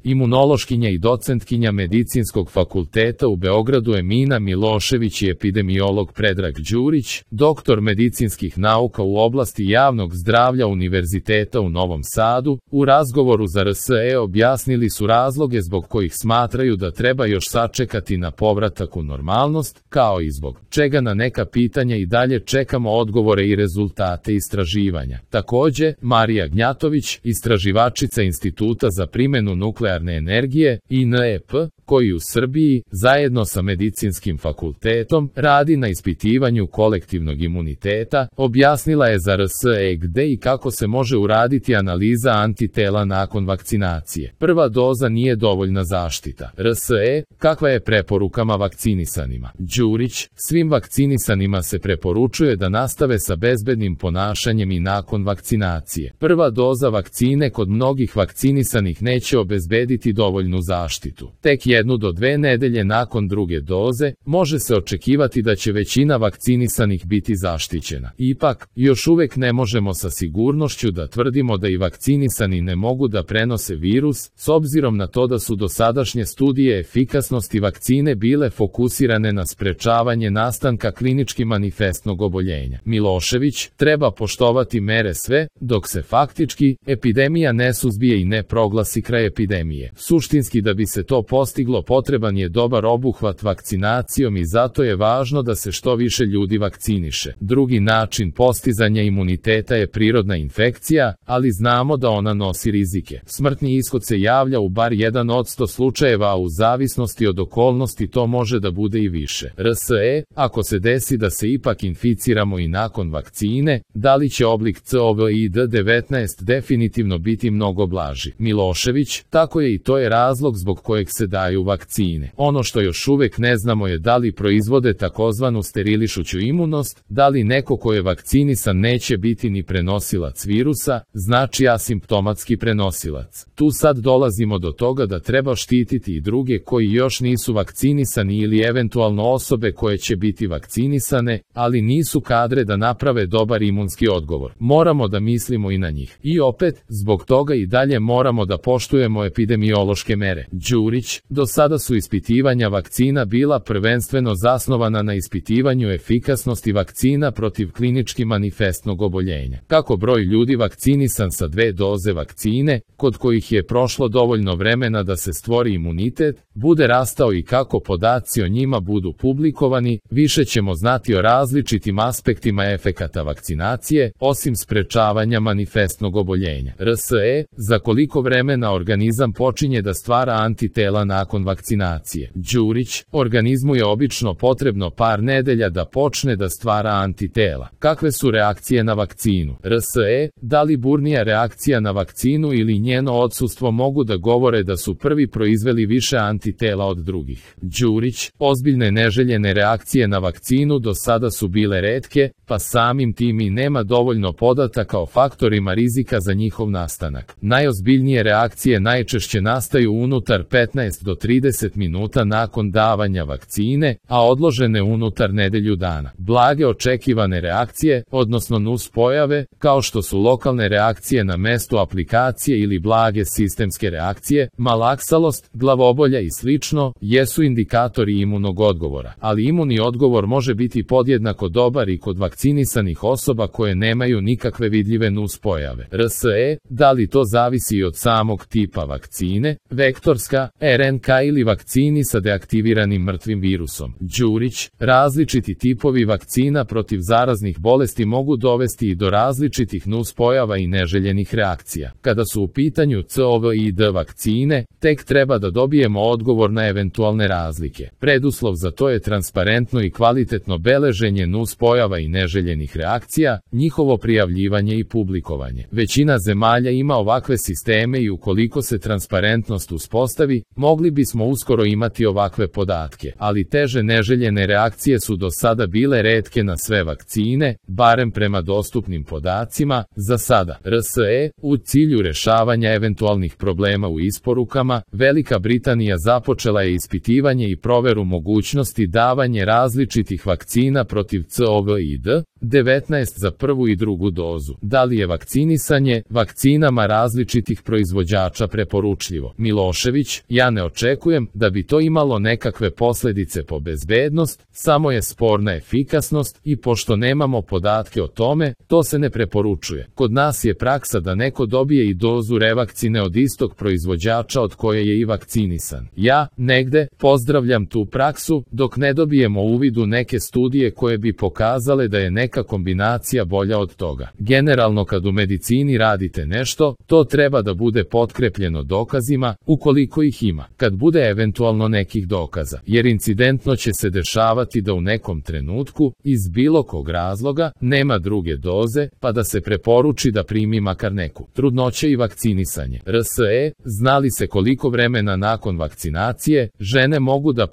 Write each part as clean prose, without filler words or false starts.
Imunološkinja i docentkinja Medicinskog fakulteta u Beogradu Emina Milošević i epidemiolog Predrag Đurić, doktor medicinskih nauka u oblasti javnog zdravlja Univerziteta u Novom Sadu, u razgovoru za RSE objasnili su razloge zbog kojih smatraju da treba još sačekati na povratak u normalnost, kao i zbog čega na neka pitanja i dalje čekamo odgovore i rezultate istraživanja. Takođe, Marija Gnjatović, istraživačica Instituta za primenu nuklearne energije, INEP, koji u Srbiji, zajedno sa Medicinskim fakultetom, radi na ispitivanju kolektivnog imuniteta, objasnila je za RSE gde i kako se može uraditi analiza antitela nakon vakcinacije. Prva doza nije dovoljna zaštita. RSE, kakva je preporukama vakcinisanima? Đurić, svim vakcinisanima se preporučuje da nastave sa bezbednim ponašanjem i nakon vakcinacije. Prva doza vakcine kod mnogih vakcinisanih neće obezbediti dovoljnu zaštitu. Tek 1 do 2 nedelje nakon druge doze, može se očekivati da će većina vakcinisanih biti zaštićena. Ipak, još uvek ne možemo sa sigurnošću da tvrdimo da i vakcinisani ne mogu da prenose virus, s obzirom na to da su dosadašnje studije efikasnosti vakcine bile fokusirane na sprečavanje nastanka klinički manifestnog oboljenja. Milošević, treba poštovati mere sve, dok se faktički epidemija ne suzbije i ne proglasi kraj epidemije. Suštinski, da bi se to postiglo, potreban je dobar obuhvat vakcinacijom i zato je važno da se što više ljudi vakciniše. Drugi način postizanja imuniteta je prirodna infekcija, ali znamo da ona nosi rizike. Smrtni ishod se javlja u bar 1% slučajeva, a u zavisnosti od okolnosti to može da bude i više. RSE, ako se desi da se ipak inficiramo i nakon vakcine, da li će oblik COVID-19 definitivno biti mnogo blaži? Milošević, tako je i to je razlog zbog kojeg se daju vakcine. Ono što još uvek ne znamo je da li proizvode takozvanu sterilišuću imunost, da li neko ko je vakcinisan neće biti ni prenosilac virusa, znači asimptomatski prenosilac. Tu sad dolazimo do toga da treba štititi i druge koji još nisu vakcinisani ili eventualno osobe koje će biti vakcinisane, ali nisu kadre da naprave dobar imunski odgovor. Moramo da mislimo i na njih. I opet, zbog toga i dalje moramo da poštujemo epidemiološke mere. Đurić, do sada su ispitivanja vakcina bila prvenstveno zasnovana na ispitivanju efikasnosti vakcina protiv klinički manifestnog oboljenja. Kako broj ljudi vakcinisan sa 2 doze vakcine, kod kojih je prošlo dovoljno vremena da se stvori imunitet, bude rastao i kako podaci o njima budu publikovani, više ćemo znati o različitim aspektima efekata vakcinacije, osim sprečavanja manifestnog oboljenja. RSE, za koliko vremena organizam počinje da stvara antitela nakon vakcinacije? Đurić, organizmu je obično potrebno par nedelja da počne da stvara antitela. Kakve su reakcije na vakcinu? RSE, da li burnija reakcija na vakcinu ili njeno odsustvo mogu da govore da su prvi proizveli više antitela od drugih? Đurić, ozbiljne neželjene reakcije na vakcinu do sada su bile retke, pa samim tim i nema dovoljno podataka o faktorima rizika za njihov nastanak. Najozbiljnije reakcije najčešće nastaju unutar 15 do 30 minuta nakon davanja vakcine, a odložene unutar nedelju dana. Blage očekivane reakcije, odnosno nuspojave, kao što su lokalne reakcije na mestu aplikacije ili blage sistemske reakcije, malaksalost, glavobolja i slično, jesu indikatori imunog odgovora, ali imunni odgovor može biti podjednako dobar i kod vakcinisanih osoba koje nemaju nikakve vidljive nuspojave. RSE, da li to zavisi i od samog tipa vakcine, vektorska, RNK ili vakcini sa deaktiviranim mrtvim virusom? Đurić, različiti tipovi vakcina protiv zaraznih bolesti mogu dovesti i do različitih nuspojava i neželjenih reakcija. Kada su u pitanju COVID vakcine, tek treba da dobijemo odgovor na eventualne razlike. Preduslov za to je transparentno i kvalitetno beleženje nuspojava i neželjenih reakcija, njihovo prijavljivanje i publikovanje. Većina zemalja ima ovakve sisteme i ukoliko se transparentnost uspostavi, mogli bismo uskoro imati ovakve podatke, ali teže neželjene reakcije su do sada bile retke na sve vakcine, barem prema dostupnim podacima. Za sada, RSE, u cilju rešavanja eventualnih problema u isporukama, Velika Britanija započela je ispitivanje i proveru mogućnosti davanja različitih vakcina protiv COVID-19 za prvu i drugu dozu. Da li je vakcinisanje vakcinama različitih proizvođača preporučeno? preporučljivo. Milošević, ja ne očekujem da bi to imalo nekakve posljedice po bezbednost, samo je sporna efikasnost i pošto nemamo podatke o tome, to se ne preporučuje. Kod nas je praksa da neko dobije i dozu revakcine od istog proizvođača od koje je i vakcinisan. Ja, negde, pozdravljam tu praksu, dok ne dobijemo uvid u neke studije koje bi pokazale da je neka kombinacija bolja od toga. Generalno kad u medicini radite nešto, to treba da bude potkrepljeno dokazima, ukoliko ih ima. Kad bude eventualno nekih dokaza, jer incidentno će se dešavati da u nekom trenutku, iz bilo kog razloga, nema druge doze, pa da se preporuči da primi makar neku. Trudnoće i vakcinisanje. RSE, znali se koliko vremena nakon vakcinacije, žene mogu da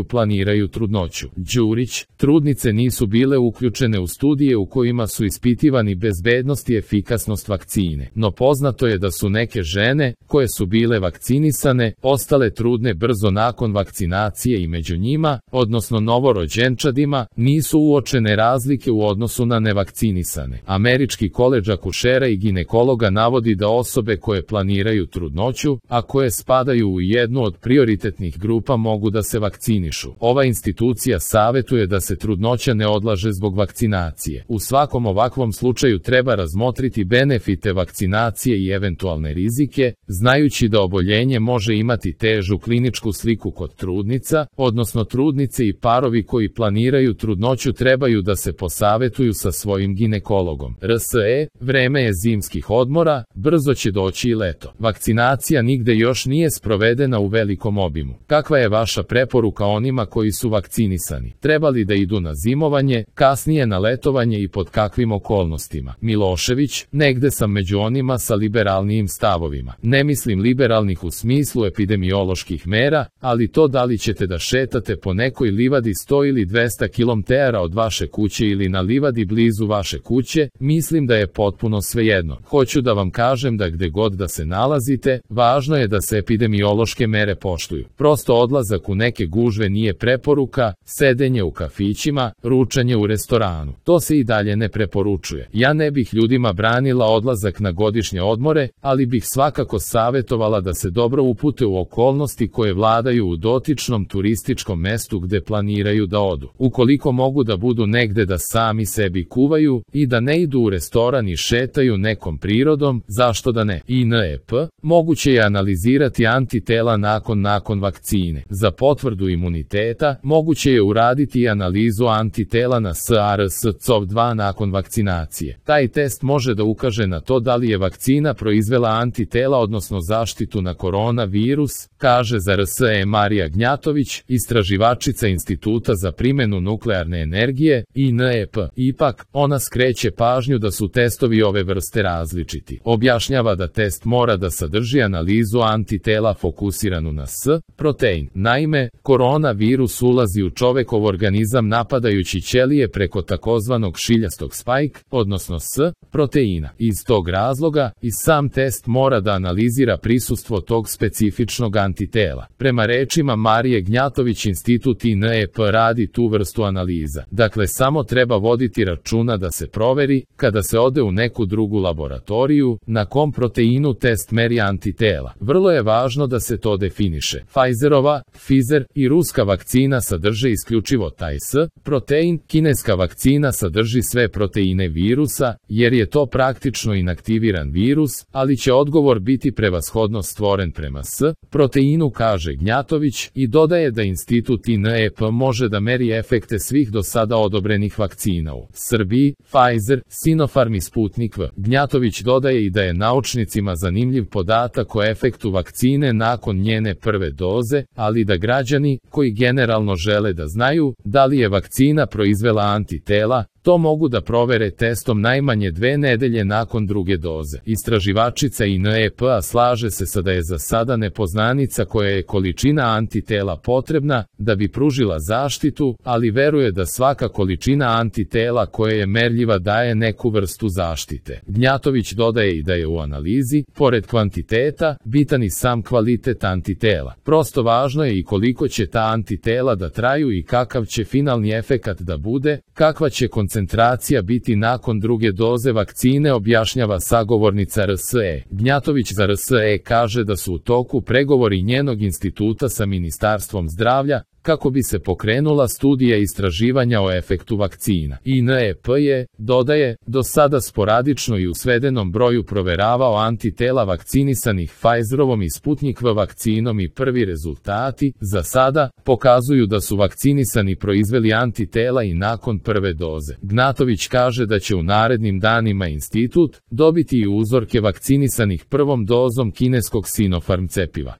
planiraju trudnoću. Đurić, trudnice nisu bile uključene u studije u kojima su ispitivani bezbednost i efikasnost vakcine. No poznato je da su neke žene, koje su bile vakcinisane, ostale trudne brzo nakon vakcinacije i među njima, odnosno novorođenčadima, nisu uočene razlike u odnosu na nevakcinisane. Američki koledž akušera i ginekologa navodi da osobe koje planiraju trudnoću, a koje spadaju u jednu od prioritetnih grupa mogu da se vakcinišu. Ova institucija savetuje da se trudnoća ne odlaže zbog vakcinacije. U svakom ovakvom slučaju treba razmotriti benefite vakcinacije i eventualne rizike, znajući da oboljenje može imati težu kliničku sliku kod trudnica, odnosno trudnice i parovi koji planiraju trudnoću trebaju da se posavetuju sa svojim ginekologom. RSE, vreme je zimskih odmora, brzo će doći i leto. Vakcinacija nigde još nije sprovedena u velikom obimu. Kakva je vaša preporuka onima koji su vakcinisani? Treba li da idu na zimovanje, kasnije na letovanje i pod kakvim okolnostima? Milošević, negde sam među onima sa liberalnijim stavovima. Ne mislim liberalnih u smislu epidemioloških mera, ali to da li ćete da šetate po nekoj livadi 100 ili 200 km od vaše kuće ili na livadi blizu vaše kuće, mislim da je potpuno svejedno. Hoću da vam kažem da gde god da se nalazite, važno je da se epidemiološke mere poštuju. Prosto odlazak u neke gužve nije preporuka, sedenje u kafićima, ručanje u restoranu. To se i dalje ne preporučuje. Ja ne bih ljudima branila odlazak na godišnje odmore, ali bih svakako savjetovala da se dobro upute u okolnosti koje vladaju u dotičnom turističkom mestu gde planiraju da odu. Ukoliko mogu da budu negde da sami sebi kuvaju i da ne idu u restoran i šetaju nekom prirodom, zašto da ne? INEP, moguće je analizirati antitela nakon vakcine. Za potvrdu imuniteta, moguće je uraditi i analizu antitela na SARS-CoV-2 nakon vakcinacije. Taj test može da ukaže na to da li je vakcina proizvela antitela odnosno zaštitu na koronavirus, kaže za RSE Marija Gnjatović, istraživačica Instituta za primjenu nuklearne energije, INEP. Ipak, ona skreće pažnju da su testovi ove vrste različiti. Objašnjava da test mora da sadrži analizu antitela fokusiranu na S-protein. Naime, koronavirus ulazi u čovekov organizam napadajući ćelije preko takozvanog šiljastog spike, odnosno S-proteina. Iz tog razloga, i sam test mora da analizira prisustvo tog specifičnog antitela. Prema rečima Marije Gnjatović, Institut INEP radi tu vrstu analiza. Dakle, samo treba voditi računa da se proveri, kada se ode u neku drugu laboratoriju, na kom proteinu test meri antitela. Vrlo je važno da se to definiše. Pfizerova, Pfizer i ruska vakcina sadrže isključivo taj S-protein, kineska vakcina sadrži sve proteine virusa, jer je to praktično inaktiviran virus, ali će odgovor biti prevashodno stvoren prema S-proteinu, kaže Gnjatović, i dodaje da Institut INEP može da meri efekte svih do sada odobrenih vakcina u Srbiji, Pfizer, Sinopharm i Sputnik V. Gnjatović dodaje i da je naučnicima zanimljiv podatak o efektu vakcine nakon njene prve doze, ali da građani, koji generalno žele da znaju da li je vakcina proizvela antitela, to mogu da provere testom najmanje 2 nedelje nakon druge doze. Istraživačica INEP-a slaže se da je za sada nepoznanica koja je količina antitela potrebna da bi pružila zaštitu, ali veruje da svaka količina antitela koja je merljiva daje neku vrstu zaštite. Gnjatović dodaje i da je u analizi, pored kvantiteta, bitan i sam kvalitet antitela. Prosto važno je i koliko će ta antitela da traju i kakav će finalni efekat da bude, kakva će koncentracija koncentracija biti nakon druge doze vakcine, objašnjava sagovornica RSE. Gnjatović za RSE kaže da su u toku pregovori njenog instituta sa Ministarstvom zdravlja kako bi se pokrenula studija istraživanja o efektu vakcina. INEP je, dodaje, do sada sporadično i u svedenom broju proveravao antitela vakcinisanih Pfizerovom i Sputnik V vakcinom i prvi rezultati, za sada, pokazuju da su vakcinisani proizveli antitela i nakon prve doze. Gnjatović kaže da će u narednim danima institut dobiti i uzorke vakcinisanih prvom dozom kineskog Sinopharm cepiva.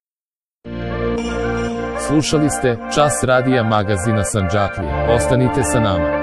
Slušali ste Čas radija magazina Sandžaklija. Ostanite sa nama.